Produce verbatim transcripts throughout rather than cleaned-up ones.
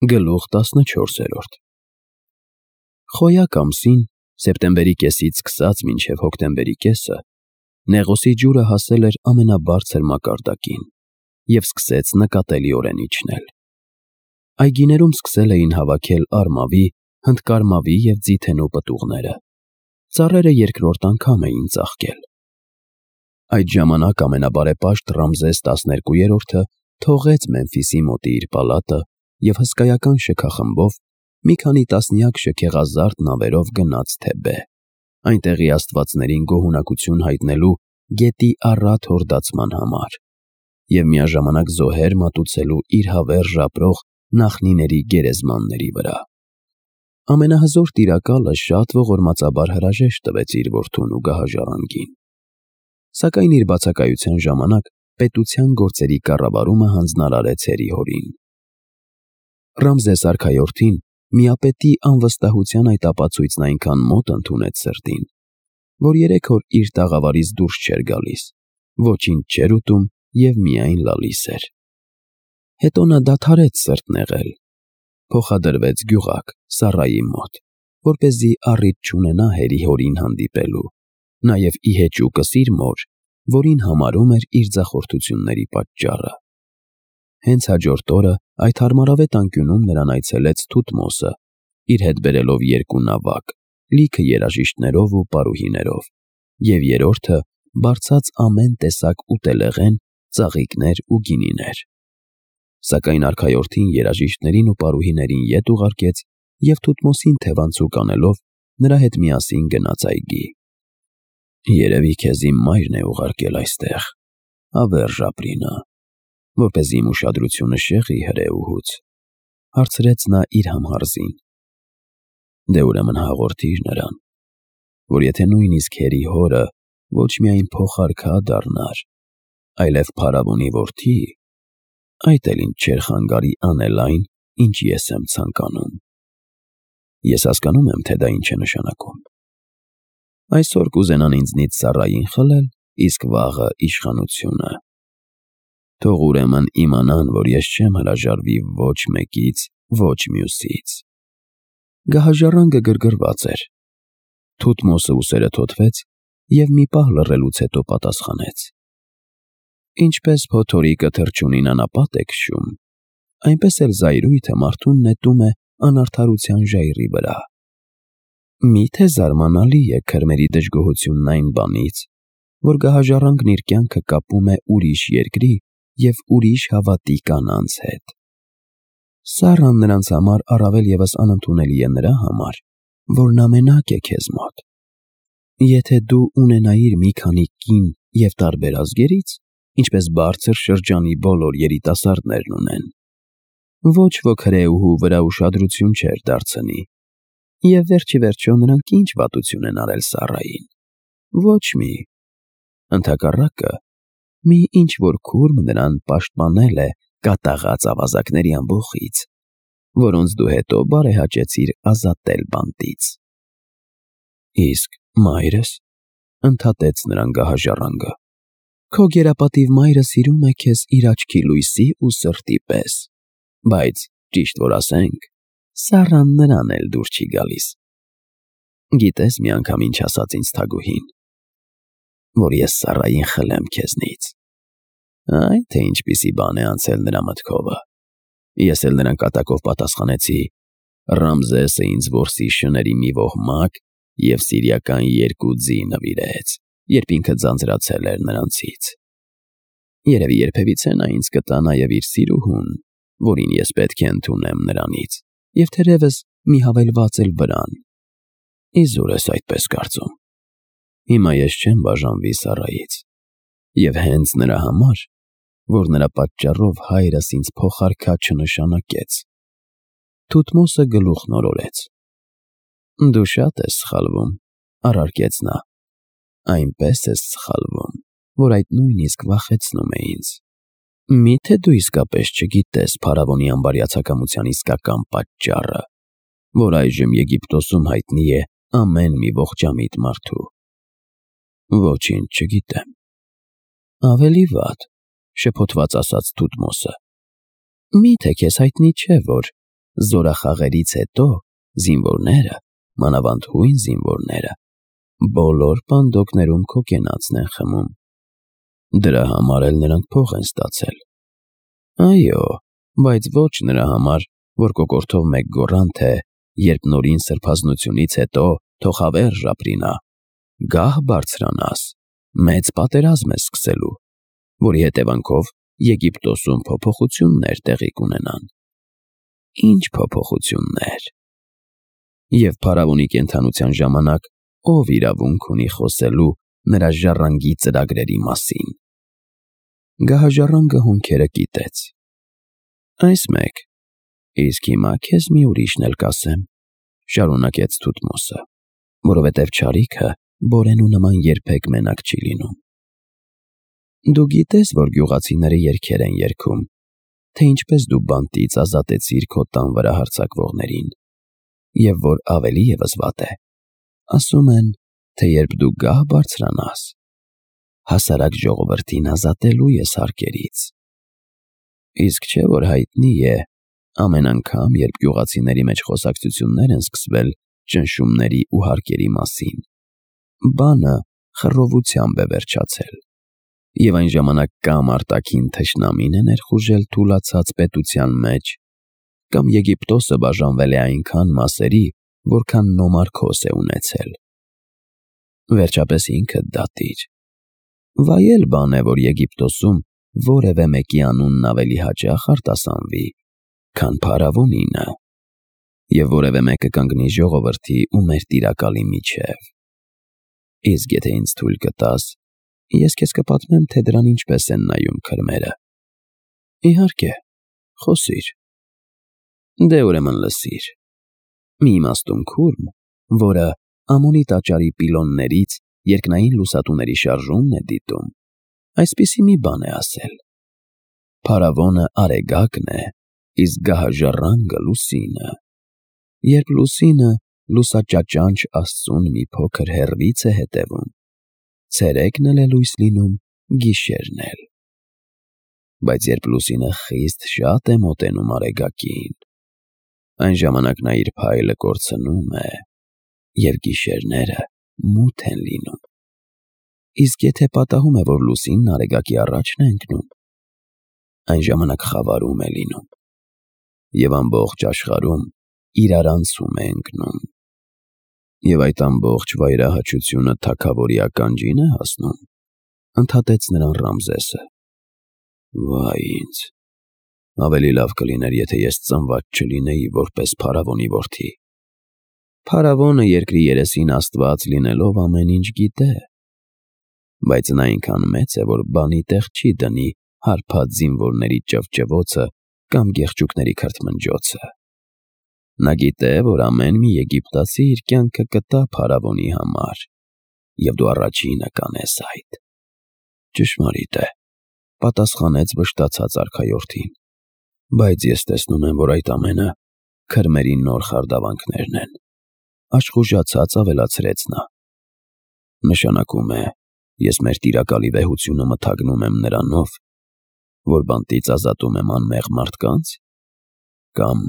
Գլուխ տասնչորսերորդ Խոյակ ամսին, սեպտեմբերի կեսից սկսած մինչև հոկտեմբերի կեսը, Նեղոսի ջուրը հասել էր ամենաբարձր մակարդակին և սկսեց նկատելիորեն իջնել։ Այգիներում սկսել էին հավաքել արմավի, հնդկարմավի և ձիթենու պտուղները, ծառերը երկրորդ անգամ էին ծաղկել։ Այդ ժամանակ ամենաբարեպաշտ Ռամզես տասներկուերորդը թողեց Մեմֆիսի մոտի իր պալատը և հսկայական շքախմբով մի քանի տասնյակ շքեղազարդ նավերով գնաց Թեբե, այնտեղի աստվածներին գոհունակություն հայտնելու գետի առատ հորդացման համար և միաժամանակ զոհեր մատուցելու իր հավերժ ապրող նախնիների գերեզմանների վրա։ Ամենահզոր տիրակալը շատ ողորմածաբար հրաժեշտ տվեց իր որդուն ու գահաժառանգին, սակայն իր բացակայության ժամանակ պետության գործերի կառավարումը հանձնարարեց հերի-հորին։ Ռամզես արքայորդին միապետի անվստահության այդ ապացույցն այնքան մոտ ընդունեց սրտին, որ երեք օր իր տաղավարից դուրս չէր գալիս, ոչինչ չէր ուտում և միայն լալիս էր։ Հետո նա դադարեց սրտ նեղել, փոխադրվեց գյուղակ Սառայի մոտ, որպեսզի առիթ չունենա հերի-հորին հանդիպելու, նաև ի հեճուկս իր մոր, որին համարում էր իր ձախորդությունների պատճառը։ Հենց հաջորդ օրը այդ հարմարավետ անկյունում նրան այցելեց Թութմոսը, իր հետ բերելով երկու նավակ, լիքը երաժիշտներով ու պարուհիներով, և երրորդը բարձած ամեն տեսակ ուտելեղեն, ծաղիկներ ու գինիներ։ Սակայն արքայորդին երաժիշտներին ու պարուհիներին ետ ուղարկեց և Թութմոսին թևանցուկ անելով նրա հետ միասին գնաց այգի։ «Երևի քեզ իմ մայրն է ուղարկել այստեղ, հավերժ ապրի նա, որպեսզի իմ ուշադրությունը շեղի հրեուհուց», հարցրեց նա իր համհարզին։ «Դե ուրեմն հաղորդիր նրան, որ եթե նույնիսկ հերի-հորը ոչ միայն փոխարքա դառնար, այլև փարավոնի որդի, այդ էլ ինձ չէր խանգարի անել այն, ինչ ես եմ ցանկանում։ Ես հասկանում եմ, թե դա ինչ է նշանակում։ Այսօր կուզենան ինձնից Սառային խլել, իսկ վաղը իշխանությունը։ Թող ուրեմն իմանան, որ ես չեմ հրաժարվի ոչ մեկից, ոչ մյուսից»։ Գահաժառանգը գրգռված էր։ Թութմոսը ուսերը թոթվեց և մի պահ լռելուց հետո պատասխանեց. «Ինչպես փոթորիկը թռչունին անապատ է քշում, այնպես էլ զայրույթը մարդուն նետում է անարդարության ժայռի վրա։ Մի՞թե զարմանալի է քրմերի դժգոհությունն այն բանից, որ գահաժառանգն իր կյանքը կապում է ուրիշ երկրի և ուրիշ հավատի կանանց հետ։ Սառան նրանց համար առավել ևս անընդունելի է նրա համար, որ նա մենակ է քեզ մոտ։ Եթե դու ունենայիր մի քանի կին և տարբեր ազգերից, ինչպես բարձր շրջանի բոլոր երիտասարդներն ունեն, ոչ ոք հրեուհու վրա ուշադրություն չէր դարձնի, և վերջիվերջո նրանք ինչ վատություն են արել Սառային։ Ոչ մի։ Ընդհակառակը, մի ինչ-որ քուրմ նրան պաշտպանել է կատաղած ավազակների ամբոխից, որոնց դու հետո բարեհաճեցիր ազատել բանտից»։ «Իսկ մայրս», ընդհատեց նրան գահաժառանգը, «քո գերապատիվ մայրը սիրում է քեզ իր աչքի լույսի ու սրտի պես, բայց, ճիշտ որ ասենք, Սառան նրան էլ դուր չի գալիս։ Գիտե՞ս մի անգամ ինչ ասաց ինձ թագուհին։ Որ ես Սառային խլեմ քեզնից։ Այ թե ինչպիսի բան է անցել նրա մտքովը։ Ես էլ նրան կատակով պատասխանեցի. Ռամզեսը ինձ որսի շների մի ոհմակ և սիրիական երկու ձի նվիրեց, երբ ինքը ձանձրացել էր նրանցից։ Երևի երբևիցե նա ինձ կտա նաև իր սիրուհուն, որին ես պետք է ընդունեմ նրանից, և թերևս մի հավելված էլ վրան։ Իզուր ես այդպես կարծում։ Հիմա ես չեմ բաժանվի Սառայից, և հենց նրա համար, որ նրա պատճառով հայրս ինձ փոխարքա չնշանակեց»։ Թութմոսը գլուխն օրորեց։ «Դու շատ ես սխալվում», առարկեց նա, «այնպես ես սխալվում, որ այդ նույնիսկ վախեցնում է ինձ։ Մի՞թե դու իսկապես չգիտես փարավոնի անբարյացակամության իսկական պատճառը, որ այժմ Եգիպտոսում հայտնի է ամեն մի ողջամիտ մարդու»։ «Ոչինչ չգիտեմ»։ «Ավելի վատ», շփոթված ասաց Թութմոսը, «մի՞թե քեզ հայտնի չէ, որ զորախաղերից հետո զինվորները, մանավանդ հույն զինվորները, բոլոր պանդոկներում քոկենացն են խմում։ Դրա համար էլ նրանք փող են ստացել։ Այո, բայց ոչ նրա համար, որ կոկորդով մեկ գոռան, թե երբ նորին սրբազնությունից հետո թող հավերժ ապրինա, գահ բարձրանաս, մեծ պատերազմ է սկսելու, որի հետևանքով Եգիպտոսում փոփոխություններ տեղի կունենան։ Ինչ փոփոխություններ։ Եվ փարավոնի կենդանության ժամանակ ով իրավունք ունի խոսելու նրա ժառանգի ծրագրերի մասին։ Գահաժառանգը հոնքերը կիտեց։ Այս մեկ, իսկ հիմա քեզ մի ուրիշն էլ կասեմ, շարունակեց Թութմոսը, որովհետև չարիքը բորենու նման երբեք մենակ չի լինում։ Դու գիտես, որ գյուղացիները երգեր են երգում, թե ինչպես դու բանտից ազատեցիր քո տան վրա հարձակվողներին, և որ ավելի ևս վատ է, ասում են, թե երբ դու գահ բարձրանաս, հասարակ ժողովրդին ազատելու ես հարկերից։ Իսկ չէ՞ որ հայտնի է, ամեն անգամ, երբ գյուղացիների մեջ խոսակցություններ են սկսվել ճնշումների ու հարկերի մասին, բանը խռովությամբ է վերջացել, և այն ժամանակ կամ արտաքին թշնամին է ներխուժել թուլացած պետության մեջ, կամ Եգիպտոսը բաժանվել է այնքան մասերի, որքան Նոմարքոս է ունեցել։ Վերջապես ինքդ դատիր։ Վայել բան է, որ Եգիպտոսում որևէ մեկի անունն ավելի հաճախ արտասանվի, քան փարավոնինը, և որևէ մեկը կանգնի ժողովրդի ու մեր տիրակալի միջև։ Իսկ եթե ինձ թույլ կտաս, ես քեզ կպատմեմ, թե դրան ինչպես են նայում քրմերը։ Իհարկե, խոսիր։ Դե ուրեմն լսիր։ Մի իմաստուն քուրմ, որը Ամոնի տաճարի պիլոններից երկնային լուսատուների շարժումն է դիտում, այսպիսի մի բան է ասել. Փարավոնը արեգակն է, իսկ գահաժառանգը լուսինը։ Երբ լուսինը լուսաճաճանչ Աստծուն մի փոքր հեռվից է հետևում, ցերեկն էլ է լույս լինում, գիշերն էլ։ Բայց երբ լուսինը խիստ շատ է մոտենում արեգակին, այն ժամանակ նա իր փայլը կորցնում է, և գիշերները մութ են լինում։ Իսկ եթե պատահում է, որ լուսինն արեգակի առաջն է ընկնում, այն ժամանակ խավարում է լինում, և ամբողջ աշխարհում իրարանցում է ընկնում։ Եվ այդ ամբողջ վայրահաչությունը թագավորի ականջին է հասնում, ընդհատեց նրան Ռամզեսը։ Վայ ինձ, ավելի լավ կլիներ, եթե ես ծնված չլինեի որպես փարավոնի որդի։ Փարավոնը երկրի երեսին աստված լինելով ամեն ինչ գիտե, բայց նա այնքան մեծ է, որ բանի տեղ չի դնի հարբած զինվորների ճվճվոցը կամ գեղչուկների քրթմնջոցը։ Նա գիտե, որ ամեն մի եգիպտացի իր կյանքը կտա փարավոնի համար, և դու առաջինը կանես այդ։ Ճշմարիտ է, պատասխանեց վշտացած արքայորդին, բայց ես տեսնում եմ, որ այդ ամենը քրմերի նոր խարդավանքներն են, աշխուժացած ավելացրեց նա։ Նշանակում է, ես մեր տիրակալի վեհությունը մթագնում եմ նրանով, որ բանտից ազատում եմ անմեղ մարդկանց, կամ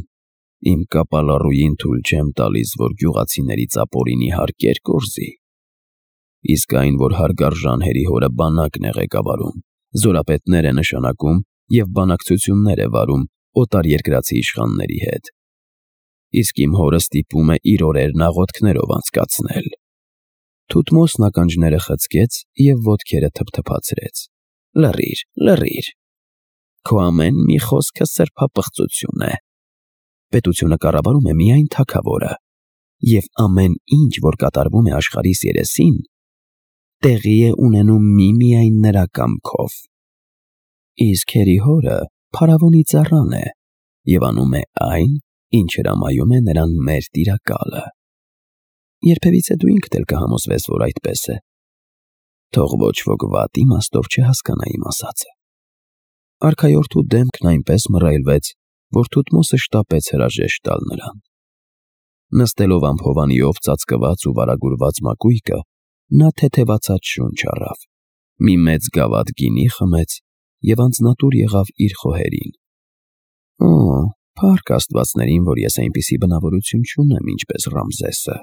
իմ կապալառուին թույլ չեմ տալիս, որ գյուղացիներից ապօրինի հարկեր կորզի։ Իսկ այն, որ հարգարժան հերի հորը բանակն է ղեկավարում, զորապետներ է նշանակում և բանակցություններ է վարում օտարերկրացի իշխանների հետ, իսկ իմ հորը ստիպում է իր օրերն աղոթքներով անցկացնել։ Թութմոսն ականջները խցկեց և ոտքերը թփթփացրեց։ Լռիր, լռիր։ Քո ամեն մի խոսքը սրբապղծություն է։ Պետությունը կառավարում է միայն թագավորը, և ամեն ինչ, որ կատարվում է աշխարհիս երեսին, տեղի է ունենում միմիայն նրա կամքով։ Իսկ հերի հորը փարավոնի ծառան է և անում է այն, ինչ հրամայում է նրան մեր տիրակալը։ Երբևիցե դու ինքդ էլ կհամոզվես, որ այդպես է։ Թող ոչ ոք վատ իմաստով չհասկանա իմ ասածը։ Արքայորդու դեմքն այնպես մռայլվեց, որ Թութմոսը շտապեց հրաժեշտ տալ նրան։ Նստելով ամփովանիով ծածկված ու վարագուրված մակույկը, նա թեթևացած շունչ առավ, մի մեծ գավաթ գինի խմեց և անձնատուր եղավ իր խոհերին։ Օ, Փառք աստվածներին, որ ես այնպիսի բնավորություն չունեմ, ինչպես Ռամզեսը,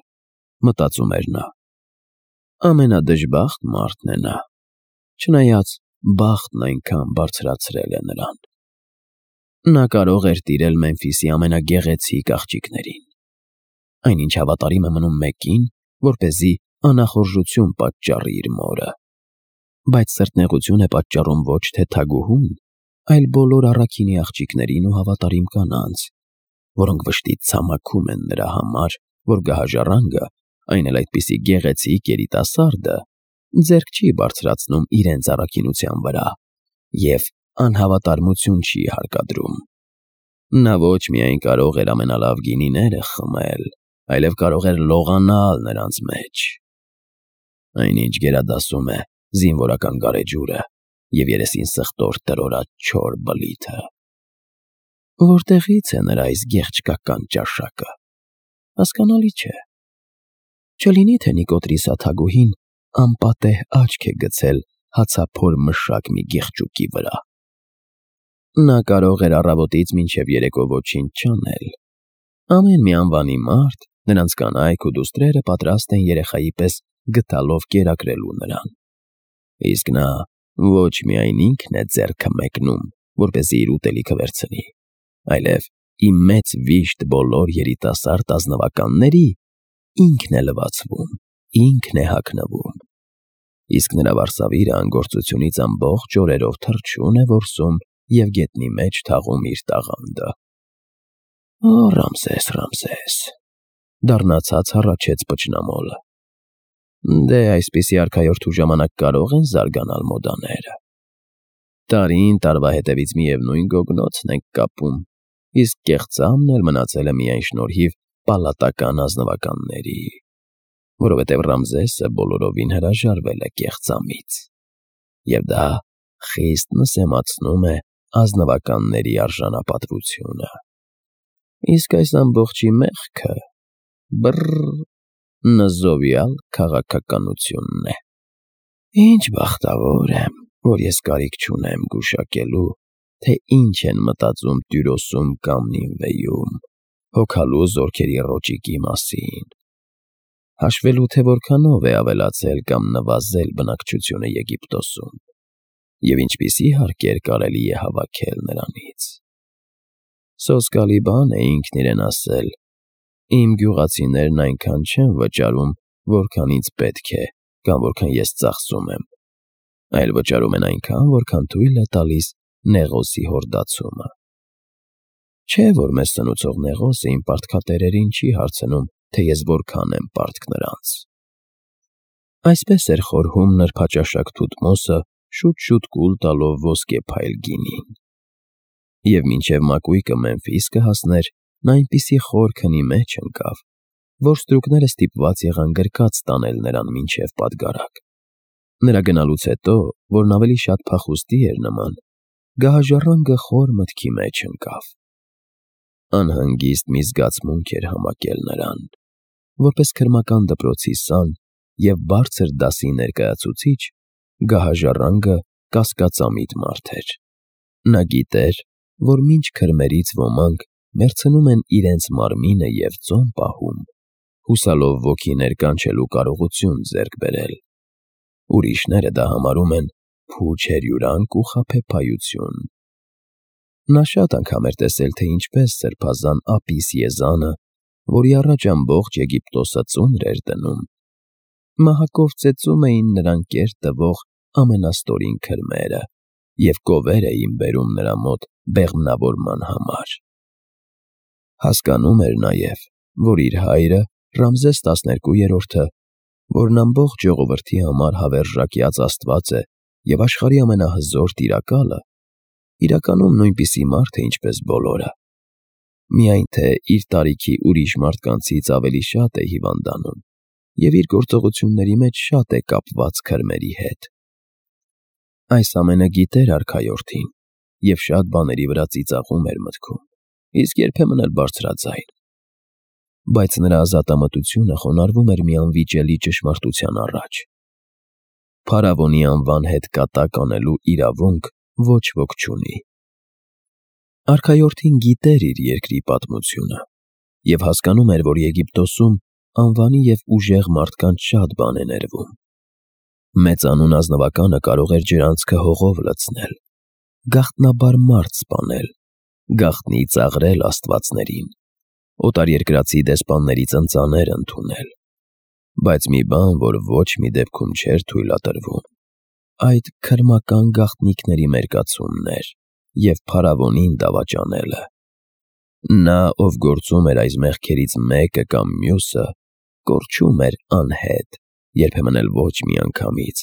մտածում էր նա։ Ամենադժբախտ մարդն է նա, չնայած բախտն այնքան բարձրացրել է նրան։ Նա կարող էր տիրել Մեմֆիսի ամենագեղեցիկ աղջիկներին։ Այնինչ հավատարիմ է մնում մեկին, որպեսզի անախորժություն պատճառի իր մորը։ Բայց սրտնեղություն է պատճառում ոչ թե թագուհուն, այլ բոլոր առաքինի աղջիկներին ու հավատարիմ կանանց, որոնք վշտից ցամաքում են նրա համար, որ գահաժառանգը, այն էլ այդպիսի գեղեցիկ երիտասարդը, ձեռք չի բարձրացնում իրենց առաքինության վրա և անհավատարմություն չի հարկադրում։ Նա ոչ միայն կարող էր ամենալավ գինիները խմել, այլև կարող էր լողանալ նրանց մեջ։ Այնինչ գերադասում է զինվորական գարեջուրը և երեսին սխտոր տրորած չոր բլիթը։ Որտեղից է նրա այս գեղչկական ճաշակը, հասկանալի չէ։ Չլինի թե Նիկոտրիսա թագուհին անպատեհ աչք է գցել հացափոր մշակ մի գեղչուկի վրա։ Նա կարող էր առավոտից մինչև երեկո ոչինչ չանել։ Ամեն մի անվանի մարդ, նրանց կանայք ու դուստրերը պատրաստ են երեխայի պես գդալով կերակրելու նրան։ Իսկ նա ոչ միայն ինքն է ձեռքը մեկնում, որպեսզի իր ուտելիքը վերցնի, այլև ի մեծ վիշտ բոլոր երիտասարդ ազնվականների ինքն է լվացվում, ինքն է հագնվում։ Իսկ նրա վարսավիրը անգործությունից ամբողջ օրերով թռչուն է որսում և գետնի մեջ թաղում իր տաղանդը։ Օ, Ռամզես, Ռամզես, դառնացած հառաչեց պճնամոլը։ Դե այսպիսի արքայորդու ժամանակ կարող են զարգանալ մոդաները։ Տարին տարվա հետևից միևնույն գոգնոցն ենք կապում, իսկ կեղծամն էլ մնացել է միայն շնորհիվ պալատական ազնվականների, որովհետև Ռամզեսը բոլորովին հրաժարվել է կեղծամից, և դա խիստ նսեմացնում է ազնվականների արժանապատվությունը։ Իսկ այս ամբողջի մեղքը բռռ նզովյալ քաղաքականությունն է։ Ինչ բախտավոր եմ, որ ես կարիք չունեմ գուշակելու, թե ինչ են մտածում Տյուրոսում կամ Նինվեում հոգալու զորքերի ռոճիկի մասին, հաշվելու, թե որքանով է ավելացել կամ նվազել բնակչությունը Եգիպտոսում, և ինչպիսի հարկեր կարելի է հավաքել նրանից։ Սոսկալի բան է ինքն իրեն ասել. իմ գյուղացիներն այնքան չեն վճարում, որքան ինձ պետք է կամ որքան ես ծախսում եմ, այլ վճարում են այնքան, որքան թույլ է տալիս Նեղոսի հորդացումը։ Չէ՞ որ մեզ սնուցող Նեղոսը իմ պարտքատերերին չի հարցնում, թե ես որքան եմ պարտք նրանց։ Այսպես էր խորհում նրբաճաշակ Թութմոսը, շուտ-շուտ կուլ տալով ոսկե փայլ գինին։ Եվ մինչև մակույկը Մեմֆիս կհասներ, նա այնպիսի խոր քնի մեջ ընկավ, որ ստրուկները ստիպված եղան գրկած տանել նրան մինչև Պադգարակ։ Նրա գնալուց հետո, որն ավելի շատ փախուստի էր նման, գահաժառանգը խոր մտքի մեջ ընկավ։ Անհանգիստ մի զգացմունք էր համակել նրան, որպես քրմական դպրոցի սան և բարձր դասի ներկայացուցիչ, գահաժառանգը կասկածամիտ մարդ էր։ Նա գիտեր, որ մինչ քրմերից ոմանք մեռցնում են իրենց մարմինը և ծոմ պահում, հուսալով ոգիներ կանչելու կարողություն ձեռք բերել, ուրիշները դա համարում են փուչ հերյուրանք ու խաբեբայություն։ Նա շատ անգամ էր տեսել, թե ինչպես սրբազան Ապիս Եզանը, որի առաջ ամբողջ Եգիպտոսը ծունր էր դնում, մահակով ծեծում էին նրան կեր տվող ամենաստորին քրմերը և կովեր էին բերում նրա մոտ բեղմնավորման համար։ Հասկանում էր նաև, որ իր հայրը, Ռամզես տասներկուերորդը, որն ամբողջ ժողովրդի համար հավերժակյաց աստված է և աշխարհի ամենահզոր տիրակալը, իրականում նույնպիսի մարդ է, ինչպես բոլորը, միայն թե իր տարիքի ուրիշ մարդկանցից ավելի շատ է հիվանդանում և իր գործողությունների մեջ շատ է կապված քրմերի հետ։ Այս ամենը գիտեր արքայորդին և շատ բաների վրա ծիծաղում էր մտքում, իսկ երբեմն էլ բարձրաձայն։ Բայց նրա ազատամտությունը խոնարհվում էր մի անվիճելի ճշմարտության առաջ. փարավոնի անվան հետ կատակ անելու իրավունք ոչ ոք չունի։ Արքայորդին գիտեր իր երկրի պատմությունը և հասկանում էր, որ Եգիպտոսում անվանի և ուժեղ մարդկանց շատ բան է ներվում։ Մեծանուն ազնվականը կարող էր ջրանցքը հողով լցնել, գաղտնաբար մարդ սպանել, գաղտնի ծաղրել աստվածներին, օտարերկրացի դեսպանների ծնծաներ ընդունել, բայց մի բան, որ ոչ մի դեպքում չէր թույլատրվում, այդ քրմական գաղտնիքների մերկացումն էր և փարավոնին դավաճանելը։ Նա, ով գործում էր այս մեղքերից մեկը կամ մյուսը, կորչում էր անհետ, երբեմն էլ ոչ միանգամից,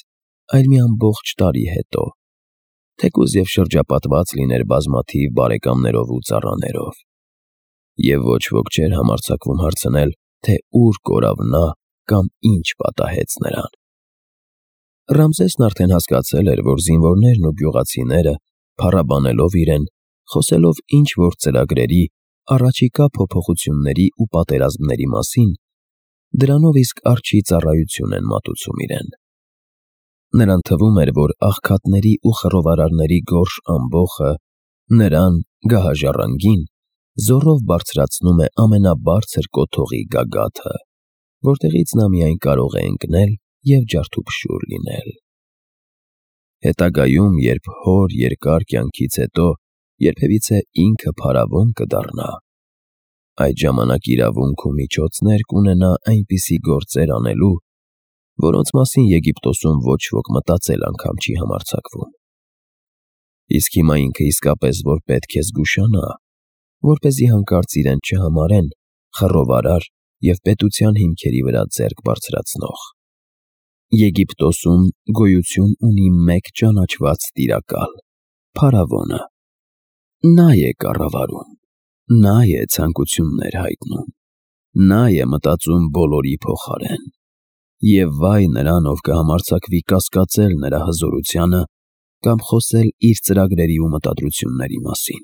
այլ մի ամբողջ տարի հետո, թեկուզ և շրջապատված լիներ բազմաթիվ բարեկամներով ու ծառաներով, և ոչ ոք չէր համարձակվում հարցնել, թե ուր կորավ նա կամ ինչ պատահեց նրան։ Ռամզեսն արդեն հասկացել էր, որ զինվորներն ու գյուղացիները, փառաբանելով իրեն, խոսելով ինչ-որ ծրագրերի, առաջիկա փոփոխությունների ու պատերազմների մասին, դրանով իսկ արջի ծառայություն են մատուցում իրեն։ Նրան թվում էր, որ աղքատների ու խռովարարների գորշ ամբոխը նրան՝ գահաժառանգին, զոռով բարձրացնում է ամենաբարձր կոթողի գագաթը, որտեղից նա միայն կարող է ընկնել և ջարդուփշուր լինել։ Հետագայում, երբ հոր երկար կյանքից հետո երբևիցե ինքը փարավոն կդառնա, այդ ժամանակ իրավունք ու միջոցներ կունենա այնպիսի գործեր անելու, որոնց մասին Եգիպտոսում ոչ ոք մտածել անգամ չի համարձակվում։ Իսկ հիմա ինքը իսկապես որ պետք է զգուշանա, որպեսզի հանկարծ իրեն չհամարեն խռովարար և պետության հիմքերի վրա ձեռք բարձրացնող։ Եգիպտոսում գոյություն ունի մեկ ճանաչված տիրակալ՝ փարավոնը։ Նա է կառավարում, նա է ցանկություններ հայտնում, նա է մտածում բոլորի փոխարեն, և վայ նրան, ով կհամարձակվի կասկածել նրա հզորությանը կամ խոսել իր ծրագրերի ու մտադրությունների մասին,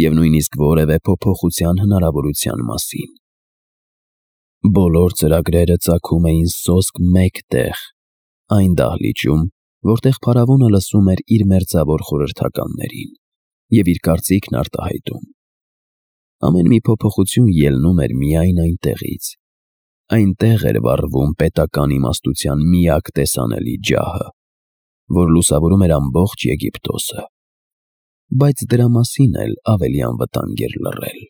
և նույնիսկ որևէ փոփոխության հնարավորության մասին։ Բոլոր ծրագրերը ծագում էին սոսկ մեկ տեղ, այն դահլիճում, որտեղ փարավոնը լսում էր իր մերձավոր խորհրդականներին և իր կարծիքն արտահայտում։ Ամեն մի փոփոխություն ելնում էր միայն այնտեղից, այնտեղ էր վառվում պետական իմաստության միակ տեսանելի ջահը, որ լուսավորում էր ամբողջ Եգիպտոսը, բայց դրա մասին էլ ավելի անվտանգ էր լռել։